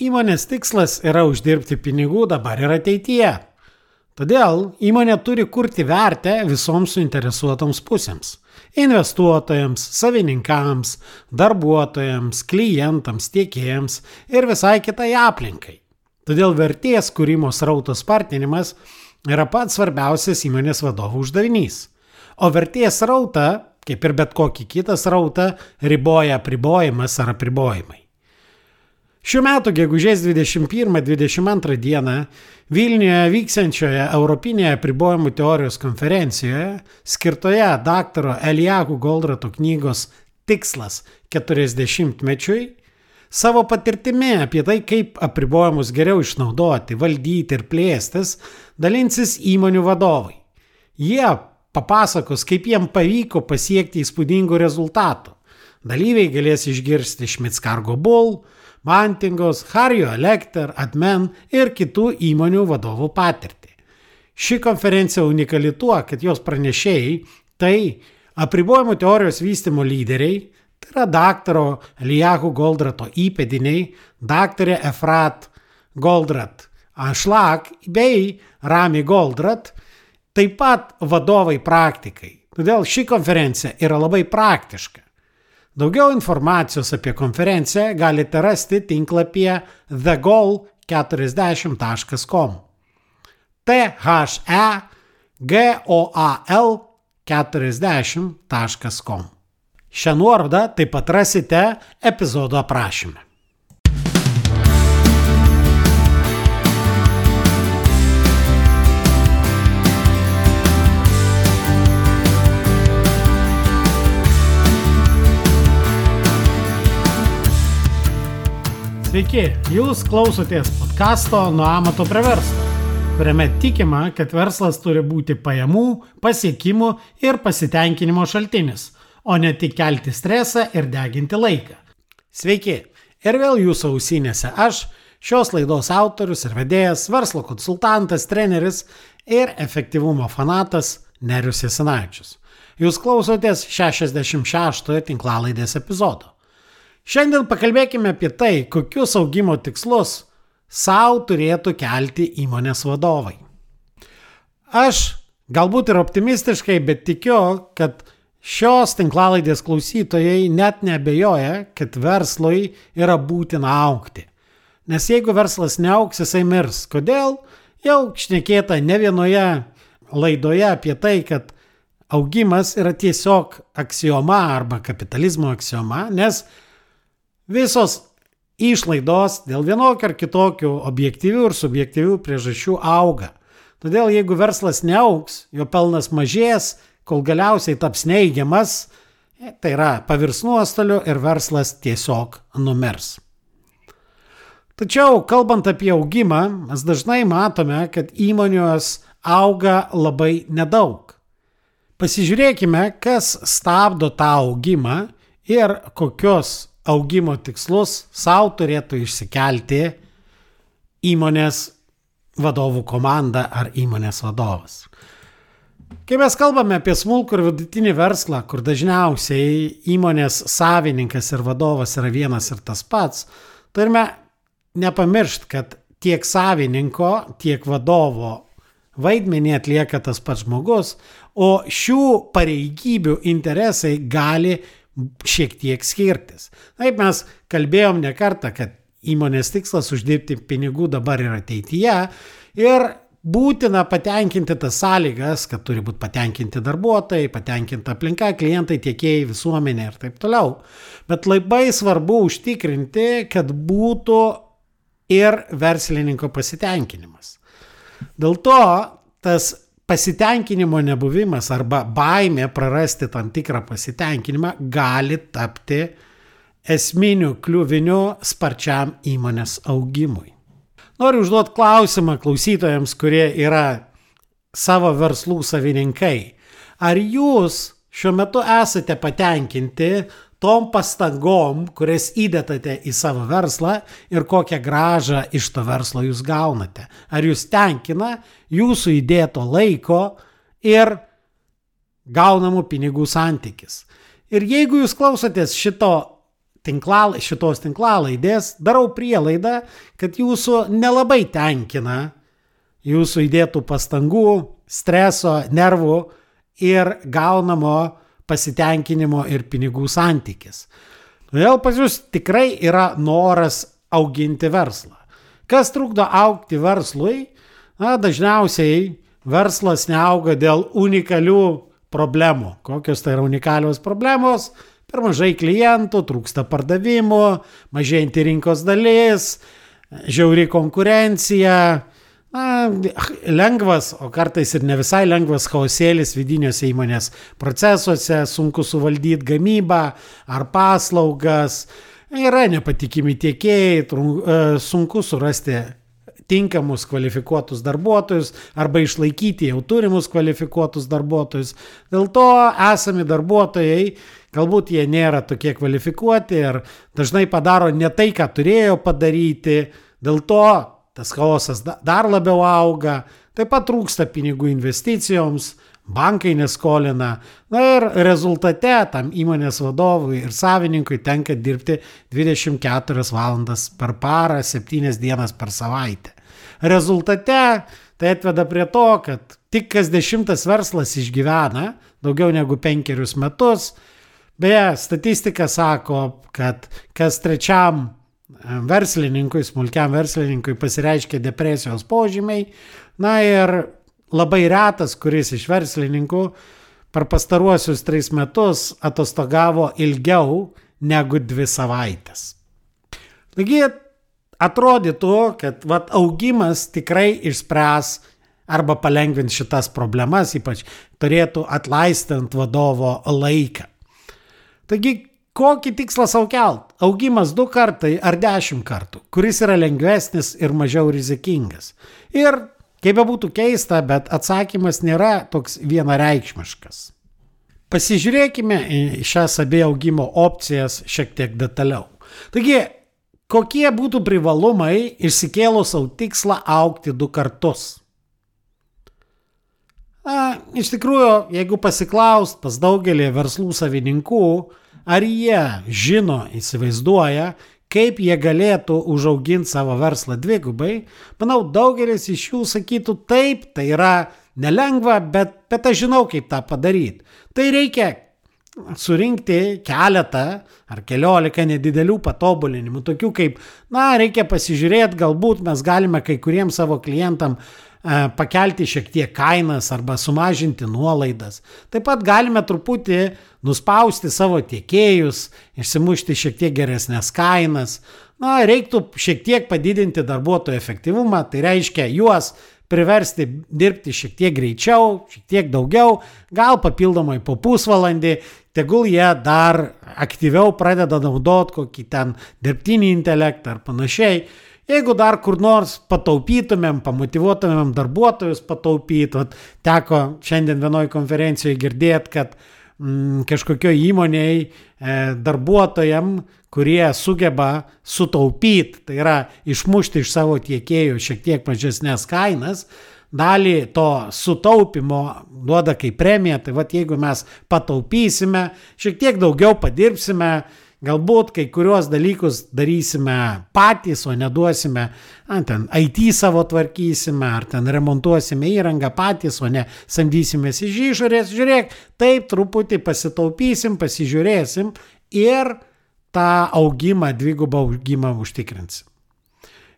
Įmonės tikslas yra uždirbti pinigų dabar ir ateityje. Todėl įmonė turi kurti vertę visoms suinteresuotoms pusėms – investuotojams, savininkams, darbuotojams, klientams, tiekėjams ir visai kitai aplinkai. Todėl vertės kūrimo srauto spartinimas yra pats svarbiausias įmonės vadovų uždavinys. O vertės srautą, kaip ir bet kokį kitą srautą, riboja apribojimas ar apribojimai. Šių metų gegužės 21-22 dieną Vilniuje vyksiančioje Europinėje apribojimų teorijos konferencijoje, skirtoje daktaro Elijahu Goldrato knygos Tikslas 40-mečiui, savo patirtimi apie tai, kaip apribojimus geriau išnaudoti, valdyti ir plėstis, dalinsis įmonių vadovai. Jie papasakos, kaip jiem pavyko pasiekti įspūdingų rezultatų. Dalyviai galės išgirsti Schmitz Cargo Bull, Mantingos, Harrio Electer, Admen ir kitų įmonių vadovų patirtį. Ši konferencija unikali tuo, kad jos pranešėjai tai apribojimų teorijos vystymo lyderiai, tai yra daktaro Elijahu Goldrato įpėdiniai, daktarė Efrat Goldrat Ashlag bei Rami Goldrat, taip pat vadovai praktikai. Todėl ši konferencija yra labai praktiška. Daugiau informacijos apie konferenciją galite rasti tinklapyje thegoal40.com. thegoal40.com. Šią nuorodą taip pat rasite epizodo aprašyme. Sveiki, jūs klausotės podcasto Nuo amato prie verslo, kuriame tikima, kad verslas turi būti pajamų, pasiekimų ir pasitenkinimo šaltinis, o ne tik kelti stresą ir deginti laiką. Sveiki, ir vėl jūsų ausinėse aš, šios laidos autorius ir vedėjas, verslo konsultantas, treneris ir efektyvumo fanatas Nerijus Jasinavičius. Jūs klausotės 66 tinklalaidės epizodo. Šiandien pakalbėkime apie tai, kokius augimo tikslus savo turėtų kelti įmonės vadovai. Aš galbūt ir optimistiškai, bet tikiu, kad šios tinklalaidės klausytojai net neabejoja, kad verslui yra būtina augti. Nes jeigu verslas neaugs, jisai mirs. Kodėl? Jau šnekėta ne vienoje laidoje apie tai, kad augimas yra tiesiog aksioma arba kapitalizmo aksioma, nes visos išlaidos dėl vienokio ar kitokių objektyvių ir subjektyvių priežasčių auga. Todėl jeigu verslas neaugs, jo pelnas mažės, kol galiausiai taps neigiamas, tai yra pavirs nuostoliu ir verslas tiesiog numirs. Tačiau, kalbant apie augimą, mes dažnai matome, kad įmonės auga labai nedaug. Pasižiūrėkime, kas stabdo tą augimą ir kokios augimo tikslus savo turėtų išsikelti įmonės vadovų komanda ar įmonės vadovas. Kai mes kalbame apie smulkų ir vidutinį verslą, kur dažniausiai įmonės savininkas ir vadovas yra vienas ir tas pats, turime nepamiršti, kad tiek savininko, tiek vadovo vaidmenį atlieka tas pats žmogus, o šių pareigybių interesai gali šiek tiek skirtis. Taip mes kalbėjom ne kartą, kad įmonės tikslas uždirbti pinigų dabar ir ateityje ir būtina patenkinti tas sąlygas, kad turi būti patenkinti darbuotojai, patenkinta aplinka, klientai, tiekėjai, visuomenė ir taip toliau. Bet labai svarbu užtikrinti, kad būtų ir verslininko pasitenkinimas. Dėl to tas pasitenkinimo nebuvimas arba baimė prarasti tam tikrą pasitenkinimą gali tapti esminiu kliuviniu sparčiam įmonės augimui. Noriu užduoti klausimą klausytojams, kurie yra savo verslų savininkai. Ar jūs šiuo metu esate patenkinti tom pastangom, kurias įdedate į savo verslą ir kokią grąžą iš to verslo jūs gaunate? Ar jūs tenkina jūsų įdėto laiko ir gaunamų pinigų santykis? Ir jeigu jūs klausotės šito šitos tinklalaidės darau prielaidą, kad jūsų nelabai tenkina jūsų įdėtų pastangų, streso, nervų ir gaunamo pasitenkinimo ir pinigų santykis. Todėl pas jūs tikrai yra noras auginti verslą. Kas trukdo augti verslui? Dažniausiai verslas neauga dėl unikalių problemų. Kokios tai yra unikalios problemos? Per mažai klientų, trūksta pardavimų, mažėjanti rinkos dalis, žiauri konkurencija, lengvas, o kartais ir ne visai lengvas chaosėlis vidiniuose įmonės procesuose, sunku suvaldyti gamybą ar paslaugas, yra nepatikimi tiekėjai, sunku surasti tinkamus kvalifikuotus darbuotojus arba išlaikyti jau turimus kvalifikuotus darbuotojus. Dėl to esami darbuotojai, galbūt jie nėra tokie kvalifikuoti ir dažnai padaro ne tai, ką turėjo padaryti, dėl to tas chaosas dar labiau auga, taip pat trūksta pinigų investicijoms, bankai neskolina, ir rezultate tam įmonės vadovui ir savininkui tenka dirbti 24 valandas per parą, 7 dienas per savaitę. Rezultate tai atveda prie to, kad tik kas 10 verslas išgyvena daugiau negu 5 metus. Beje, statistika sako, kad kas 3 verslininkui, smulkiam verslininkui pasireiškia depresijos požymiai, ir labai retas, kuris iš verslininkų per pastaruosius 3 metus atostogavo ilgiau negu 2 savaitės. Taigi, atrodytų, kad augimas tikrai išspręs arba palengvins šitas problemas, ypač turėtų atleisti ant vadovo laiką. Taigi, kokį tikslą sau kelt? Augimas 2 kartai ar 10 kartų, kuris yra lengvesnis ir mažiau rizikingas. Ir, kaip bebūtų keista, bet atsakymas nėra toks vienareikšmiškas. Pasižiūrėkime į šias abi augimo opcijas šiek tiek detaliau. Taigi, kokie būtų privalumai išsikėlus savo tikslą augti 2 kartus? Iš tikrųjų, jeigu pasiklaust pas daugelį verslų savininkų, ar jie žino, įsivaizduoja, kaip jie galėtų užauginti savo verslą 2, manau, daugelis iš jų sakytų taip, tai yra nelengva, bet aš žinau, kaip tą padaryti. Tai reikia surinkti keletą ar 14 nedidelių patobulinimų, tokių kaip, reikia pasižiūrėti, galbūt mes galime kai kuriems savo klientam pakelti šiek tiek kainas arba sumažinti nuolaidas. Taip pat galime truputį nuspausti savo tiekėjus, išsimušti šiek tiek geresnės kainas. Reiktų šiek tiek padidinti darbuotojų efektyvumą, tai reiškia juos priversti dirbti šiek tiek greičiau, šiek tiek daugiau, gal papildomai po pusvalandį, tegul jie dar aktyviau pradeda naudoti kokį ten dirbtinį intelektą ar panašiai. Jeigu dar kur nors pataupytumėm, pamotyvuotumėm darbuotojus pataupyti, teko šiandien vienoje konferencijoje girdėti, kad kažkokioje įmonėje darbuotojam, kurie sugeba sutaupyti, tai yra išmušti iš savo tiekėjų šiek tiek mažesnės kainas, dalį to sutaupimo duoda kaip premiją, tai jeigu mes pataupysime, šiek tiek daugiau padirbsime, galbūt kai kuriuos dalykus darysime patys, o neduosime, ten IT savo tvarkysime, ar ten remontuosime įrangą patys, o ne samdysimės iš išorės. Žiūrėk, taip truputį pasitaupysim, pasižiūrėsim ir tą augimą, 2 augimą užtikrinsim.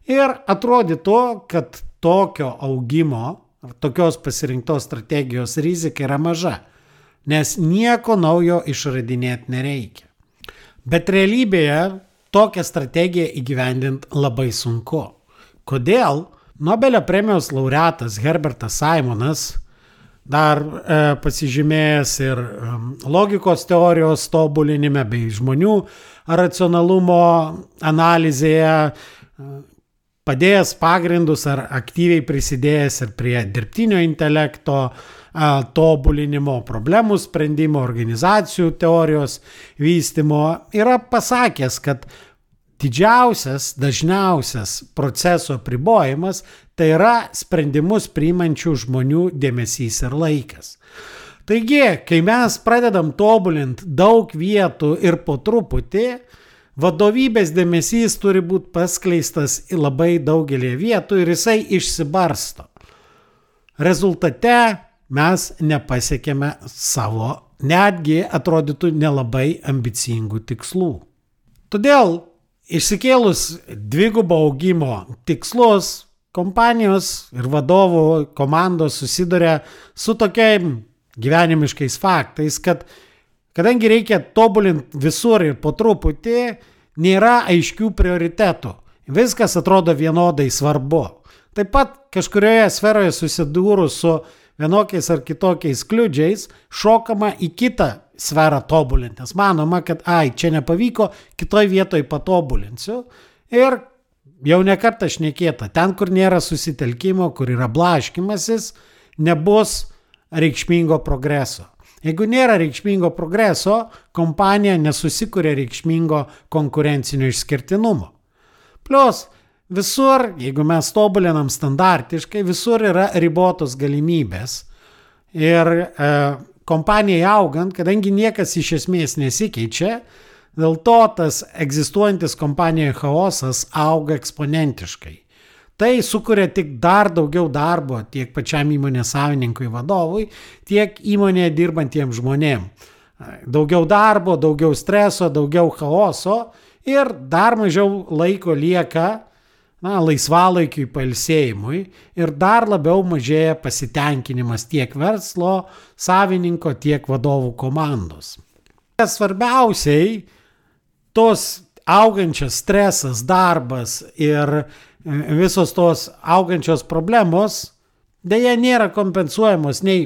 Ir atrodytų, kad tokio augimo, tokios pasirinktos strategijos rizika yra maža, nes nieko naujo išradinėti nereikia. Bet realybėje tokią strategiją įgyvendinti labai sunku. Kodėl? Nobelio premijos laureatas Herbertas Simonas, dar pasižymėjęs ir logikos teorijos tobulinime bei žmonių racionalumo analizėje, padėjęs pagrindus ar aktyviai prisidėjęs ir prie dirbtinio intelekto tobulinimo, problemų sprendimo, organizacijų teorijos vystymo, yra pasakęs, kad didžiausias, dažniausias proceso apribojimas tai yra sprendimus priimančių žmonių dėmesys ir laikas. Taigi, kai mes pradedam tobulinti daug vietų ir po truputį, vadovybės dėmesys turi būti paskleistas į labai daugelį vietų ir jisai išsibarsto. Rezultate mes nepasiekėme savo, netgi atrodytų nelabai ambicingų tikslų. Todėl išsikėlus dvigubo augimo tikslus, kompanijos ir vadovų komandos susiduria su tokiais gyvenimiškais faktais, kad kadangi reikia tobulinti visur ir po truputį, nėra aiškių prioritetų. Viskas atrodo vienodai svarbu. Taip pat kažkurioje sferoje susidūrus su vienokiais ar kitokiais kliudžiais, šokama į kitą sferą tobulinti. Nes manoma, kad čia nepavyko, kitoj vietoj patobulinsiu. Ir jau nekartą šnekėta, ten, kur nėra susitelkimo, kur yra blaškymasis, nebus reikšmingo progreso. Jeigu nėra reikšmingo progreso, kompanija nesusikuria reikšmingo konkurencinio išskirtinumo. Plus, visur, jeigu mes tobulinam standartiškai, visur yra ribotos galimybės. Ir kompanijai augant, kadangi niekas iš esmės nesikeičia, dėl to tas egzistuojantis kompanijoje chaosas auga eksponentiškai. Tai sukuria tik dar daugiau darbo tiek pačiam įmonės savininkui vadovui, tiek įmonėje dirbantiems žmonėm. Daugiau darbo, daugiau streso, daugiau chaoso ir dar mažiau laiko lieka laisvalaikiui, pailsėjimui ir dar labiau mažėja pasitenkinimas tiek verslo savininko, tiek vadovų komandos. Svarbiausiai tos augančias stresas, darbas ir visos tos augančios problemos dėja nėra kompensuojamos nei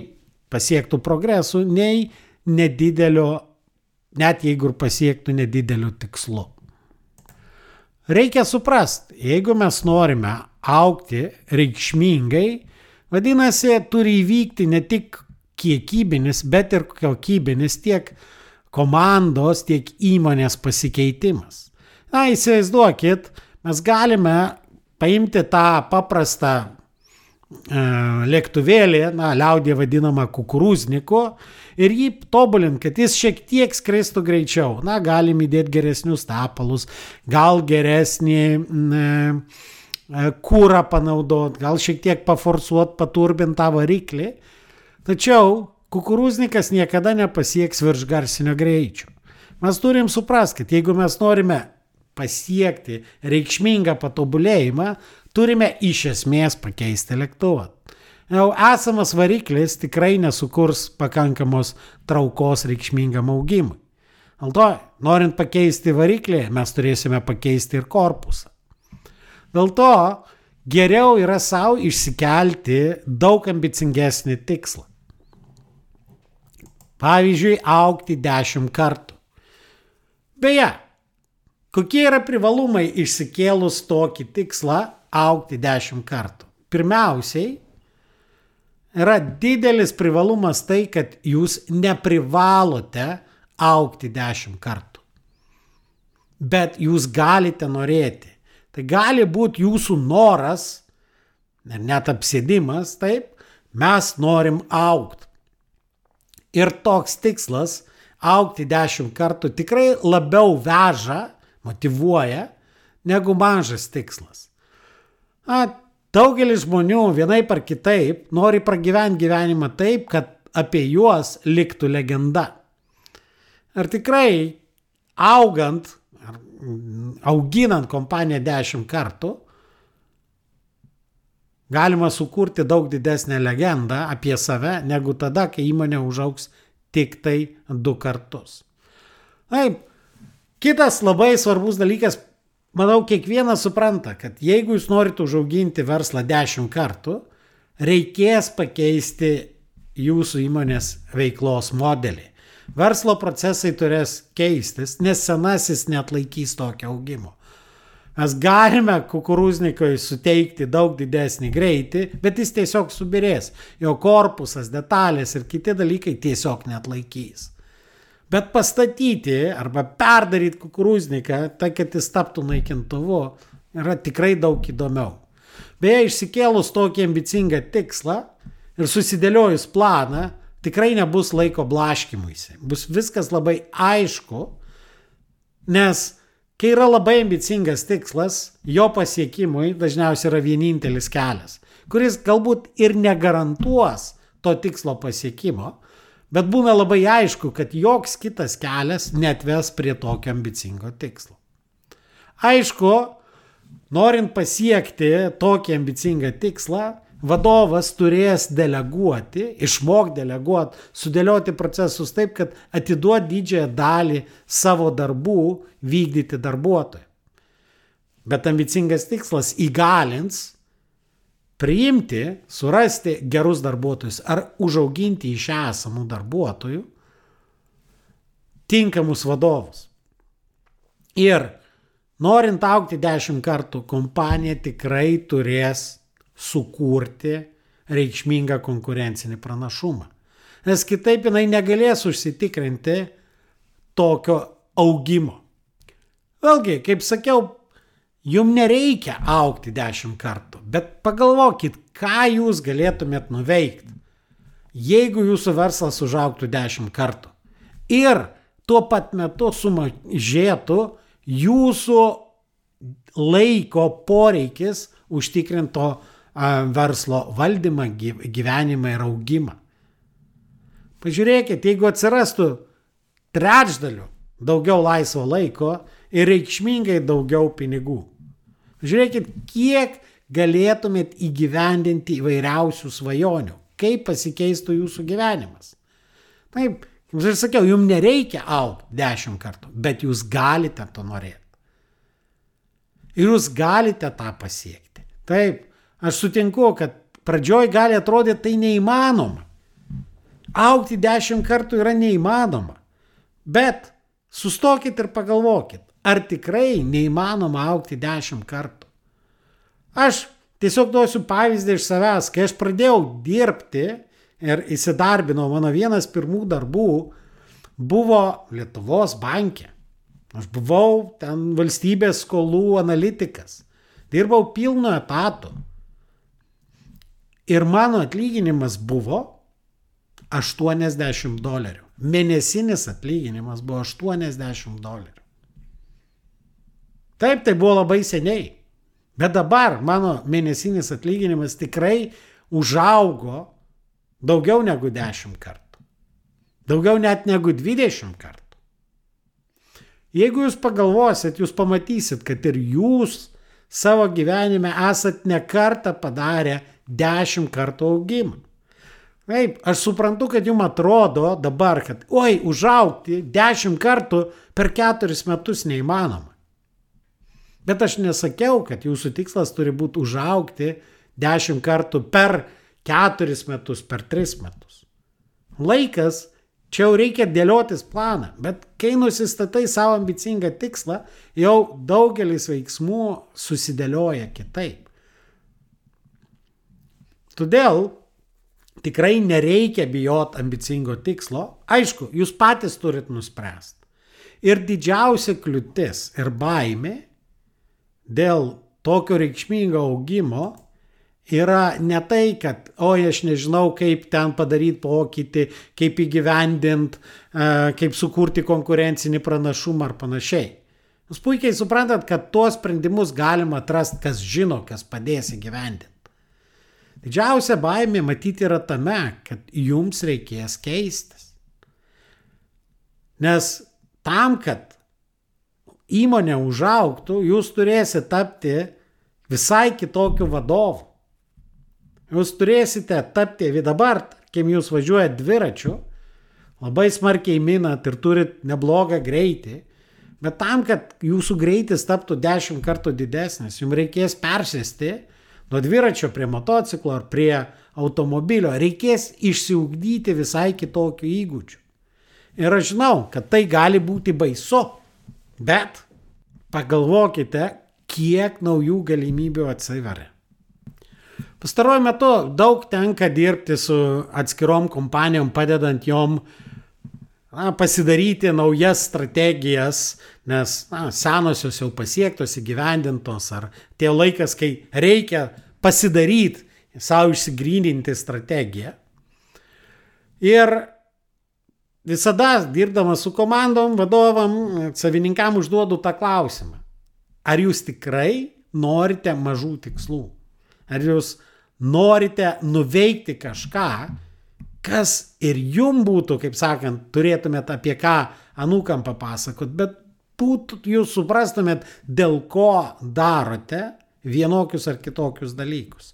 pasiektų progresų, nei nedidelio, net jeigu ir pasiektų nedidelių tikslų. Reikia suprasti, jeigu mes norime augti reikšmingai, vadinasi, turi įvykti ne tik kiekybinis, bet ir kokybinis tiek komandos, tiek įmonės pasikeitimas. Įsivaizduokit, mes galime paimti tą paprastą lėktuvėlį, liaudyje vadinamą kukurūzniku, ir jį tobulinti, kad jis šiek tiek skristų greičiau. Galim įdėti geresnius tepalus, gal geresnį kūrą panaudoti, gal šiek tiek paforsuoti, paturbinti tą variklį. Tačiau kukurūznikas niekada nepasieks viršgarsinio greičio. Mes turim suprasti, kad jeigu mes norime pasiekti reikšmingą patobulėjimą, turime iš esmės pakeisti lėktuvą. Jau esamas variklis tikrai nesukurs pakankamos traukos reikšmingam augimui. Dėl to, norint pakeisti variklį, mes turėsime pakeisti ir korpusą. Dėl to, geriau yra savo išsikelti daug ambicingesnį tikslą. Pavyzdžiui, augti 10 kartų. Beje, kokie yra privalumai išsikėlus tokį tikslą augti 10 kartų? Pirmiausiai, yra didelis privalumas tai, kad jūs neprivalote augti 10 kartų. Bet jūs galite norėti. Tai gali būti jūsų noras, net apsėdimas, taip, mes norim augti. Ir toks tikslas augti 10 kartų tikrai labiau veža, motyvuoja, negu mažas tikslas. Daugelis žmonių vienaip ar kitaip nori pragyventi gyvenimą taip, kad apie juos liktų legenda. Ir tikrai auginant kompaniją 10 kartų, galima sukurti daug didesnę legendą apie save, negu tada, kai įmonė užaugs tik tai 2 kartus. Taip, kitas labai svarbus dalykas, manau, kiekvienas supranta, kad jeigu jūs norite užauginti verslą 10 kartų, reikės pakeisti jūsų įmonės veiklos modelį. Verslo procesai turės keistis, nes senasis neatlaikys tokio augimo. Mes galime kukurūznikui suteikti daug didesnį greitį, bet jis tiesiog subirės. Jo korpusas, detalės ir kiti dalykai tiesiog neatlaikys. Bet pastatyti arba perdaryti kukurūzniką, tai kad jis taptų naikintuvu, yra tikrai daug įdomiau. Beje, išsikėlus tokį ambicingą tikslą ir susidėliojus planą, tikrai nebus laiko blaškymuisi. Bus viskas labai aišku, nes Kai yra labai ambicingas tikslas, jo pasiekimui dažniausiai yra vienintelis kelias, kuris galbūt ir negarantuos to tikslo pasiekimo, bet būna labai aišku, kad joks kitas kelias netves prie tokio ambicingo tikslo. Aišku, norint pasiekti tokį ambicingą tikslą, vadovas turės deleguoti, išmokti deleguoti, sudėlioti procesus taip, kad atiduot didžiąją dalį savo darbų vykdyti darbuotojui. Bet ambicingas tikslas įgalins priimti, surasti gerus darbuotojus ar užauginti iš esamų darbuotojų tinkamus vadovus. Ir norint augti 10 kartų, kompanija tikrai turės sukurti reikšmingą konkurencinį pranašumą. Nes kitaip jinai negalės užsitikrinti tokio augimo. Vėlgi, kaip sakiau, jums nereikia augti 10 kartų, bet pagalvokit, ką jūs galėtumėt nuveikti, jeigu jūsų verslas užaugtų 10 kartų. Ir tuo pat metu sumažėtų jūsų laiko poreikis užtikrinto verslo valdymą, gyvenimą ir augimą. Pažiūrėkit, jeigu atsirastų trečdaliu daugiau laisvo laiko ir reikšmingai daugiau pinigų. Žiūrėkit, kiek galėtumėt įgyvendinti įvairiausių svajonių, kaip pasikeistų jūsų gyvenimas. Taip, kaip aš sakiau, jums nereikia augti 10 kartų, bet jūs galite to norėti. Ir jūs galite tą pasiekti. Taip, aš sutinku, kad pradžioj gali atrodyti tai neįmanoma. Augti 10 kartų yra neįmanoma. Bet sustokit ir pagalvokit, ar tikrai neįmanoma augti 10 kartų. Aš tiesiog duosiu pavyzdį iš savęs, kai aš pradėjau dirbti ir įsidarbinau, mano vienas pirmų darbų buvo Lietuvos banke. Aš buvau ten valstybės skolų analitikas. Dirbau pilnu etatu. Ir mano atlyginimas buvo $80. Mėnesinis atlyginimas buvo $80. Taip, tai buvo labai seniai. Bet dabar mano mėnesinis atlyginimas tikrai užaugo daugiau negu 10 kartų. Daugiau net negu 20 kartų. Jeigu jūs pagalvosit, jūs pamatysit, kad ir jūs savo gyvenime esat ne kartą padarę 10 kartų augimą. Taip, aš suprantu, kad jums atrodo dabar, kad užaugti 10 kartų per 4 metus neįmanoma. Bet aš nesakiau, kad jūsų tikslas turi būti užaugti 10 kartų per 4 metus, per 3 metus. Laikas, čia jau reikia dėliotis planą, bet kai nusistatai savo ambicingą tikslą, jau daugelis veiksmų susidėlioja kitaip. Todėl tikrai nereikia bijoti ambicingo tikslo. Aišku, jūs patys turit nuspręsti. Ir didžiausia kliūtis ir baimė dėl tokio reikšmingo augimo yra ne tai, kad, aš nežinau, kaip ten padaryti pokytį, kaip įgyvendinti, kaip sukurti konkurencinį pranašumą ar panašiai. Jūs puikiai suprantat, kad tuos sprendimus galima atrasti, kas žino, kas padės įgyvendinti. Didžiausia baimė matyti yra tame, kad jums reikės keistis. Nes tam, kad įmonė užaugtų, jūs turėsite tapti visai kitokiu vadovu. Jūs turėsite tapti, dabar, tarkim, jūs važiuojate dviračiu, labai smarkiai minat ir turit neblogą greitį, bet tam, kad jūsų greitis taptų 10 kartų didesnis, jums reikės persėsti nuo dviračio prie motociklo ar prie automobilio, reikės išsiugdyti visai kitokių įgūdžių. Ir aš žinau, kad tai gali būti baisu, bet pagalvokite, kiek naujų galimybių atsiveria. Pastaruoju metu daug tenka dirbti su atskirom kompanijom, padedant jom pasidaryti naujas strategijas, nes senosios jau pasiektos, įgyvendintos, ar tie laikas, kai reikia pasidaryti, savo išsigryninti strategiją. Ir visada dirbdamas su komandom, vadovam, savininkam užduodu tą klausimą. Ar jūs tikrai norite mažų tikslų? Ar jūs norite nuveikti kažką, kas ir jum būtų, kaip sakant, turėtumėt apie ką anūkam papasakot, bet jūs suprastumėt, dėl ko darote vienokius ar kitokius dalykus.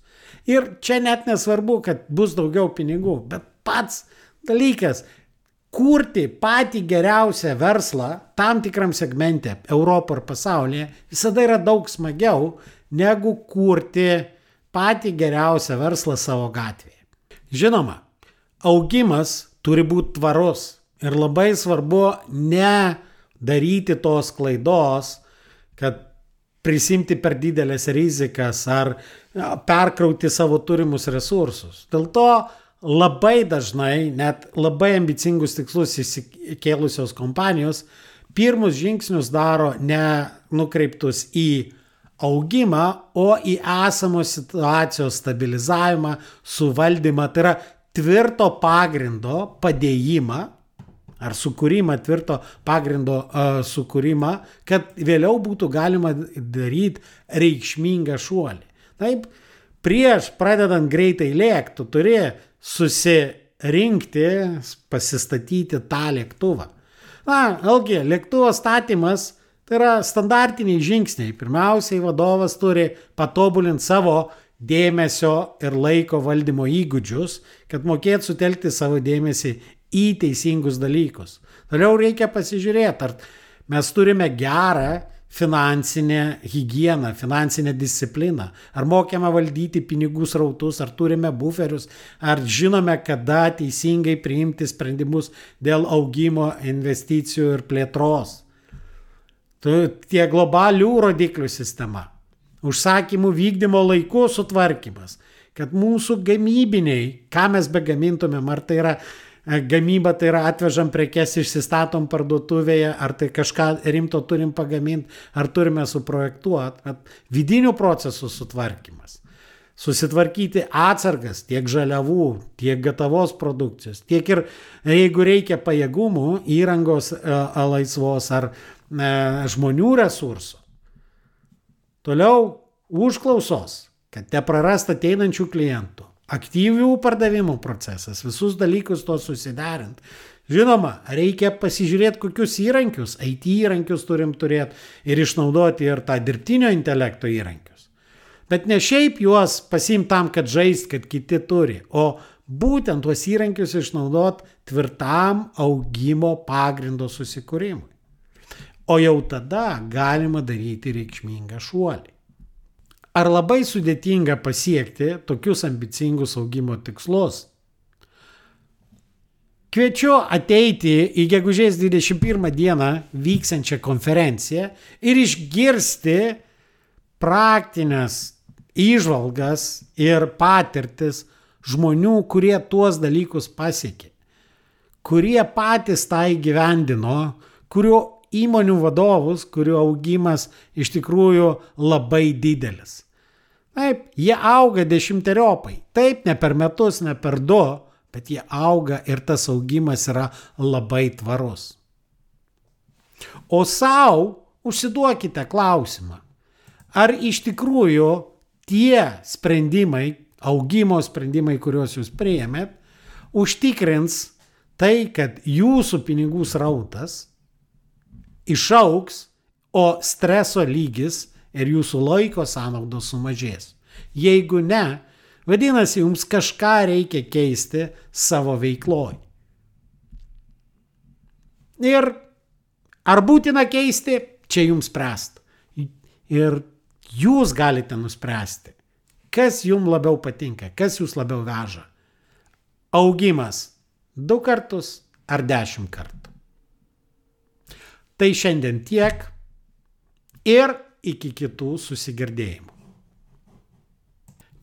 Ir čia net nesvarbu, kad bus daugiau pinigų, bet pats dalykas, kurti patį geriausią verslą tam tikram segmente, Europoje ir pasaulyje, visada yra daug smagiau, negu kurti patį geriausią verslą savo gatvėje. Žinoma, augimas turi būti tvarus ir labai svarbu ne daryti tos klaidos, kad prisimti per didelės rizikas ar perkrauti savo turimus resursus. Dėl to labai dažnai, net labai ambicingus tikslus įsikėlusios kompanijos, pirmus žingsnius daro ne nukreiptus į augimą, o į esamos situacijos stabilizavimą, suvaldymą, tai yra tvirto pagrindo padėjimą ar sukūrimą, tvirto pagrindo sukūrimą, kad vėliau būtų galima daryti reikšmingą šuolį. Taip, prieš pradedant greitai lėkti, tu turi susirinkti, pasistatyti tą lėktuvą. Vėlgi, lėktuvo statymas tai yra standartiniai žingsniai. Pirmiausiai vadovas turi patobulinti savo dėmesio ir laiko valdymo įgūdžius, kad mokėtų sutelkti savo dėmesį į teisingus dalykus. Toliau reikia pasižiūrėti, ar mes turime gerą finansinę higieną, finansinę discipliną, ar mokėme valdyti pinigų srautus, ar turime buferius, ar žinome, kada teisingai priimti sprendimus dėl augimo, investicijų ir plėtros. Tie globalių rodiklių sistema, užsakymų vykdymo laiku sutvarkymas, kad mūsų gamybiniai, ką mes begamintumėm, ar tai yra gamyba, tai yra atvežam prekes, išsistatom parduotuvėje, ar tai kažką rimto turim pagaminti, ar turime suprojektuoti, vidinių procesų sutvarkymas. Susitvarkyti atsargas tiek žaliavų, tiek gatavos produkcijos, tiek ir jeigu reikia pajėgumų, įrangos laisvos ar žmonių resursų. Toliau užklausos, kad neprarast ateinančių klientų. Aktyvių pardavimų procesas, visus dalykus to susiderint. Žinoma, reikia pasižiūrėti, kokius įrankius, IT įrankius turim turėti ir išnaudoti ir tą dirbtinio intelekto įrankius. Bet ne šiaip juos pasiimti tam, kad žaist, kad kiti turi, o būtent tuos įrankius išnaudoti tvirtam augimo pagrindo susikūrimui. O jau tada galima daryti reikšmingą šuolį. Ar labai sudėtinga pasiekti tokius ambicingus augimo tikslus? Kviečiu ateiti į gegužės 21 dieną vyksiančią konferenciją ir išgirsti praktinės įžvalgas ir patirtis žmonių, kurie tuos dalykus pasiekė, kurie patys tą įgyvendino, kurių įmonių vadovus, kurių augimas iš tikrųjų labai didelis. Taip, jie auga 10-eriopai. Taip, ne per metus, ne per 2, bet jie auga ir tas augimas yra labai tvarus. O savo užsiduokite klausimą, ar iš tikrųjų tie sprendimai, augimo sprendimai, kuriuos jūs priėmėt, užtikrins tai, kad jūsų pinigų srautas išaugs, o streso lygis ir jūsų laiko sąnaudos sumažės. Jeigu ne, vadinasi, jums kažką reikia keisti savo veikloj. Ir ar būtina keisti, čia jums spręst. Ir jūs galite nuspręsti, kas jums labiau patinka, kas jūs labiau veža. Augimas 2 kartus ar 10 kartų. Tai šiandien tiek ir iki kitų susigirdėjimų.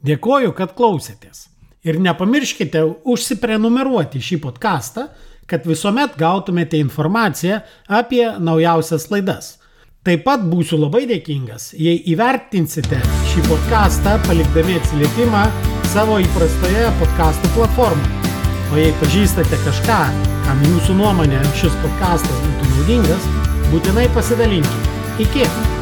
Dėkoju, kad klausėtės. Ir nepamirškite užsiprenumeruoti šį podcastą, kad visuomet gautumėte informaciją apie naujausias laidas. Taip pat būsiu labai dėkingas, jei įvertinsite šį podcastą palikdami atsiliepimą savo įprastoje podcastų platformoje. O jei pažįstate kažką, kam jūsų nuomonė šis podcastas būtų naudingas, būtinai pasidalinkite. Iki!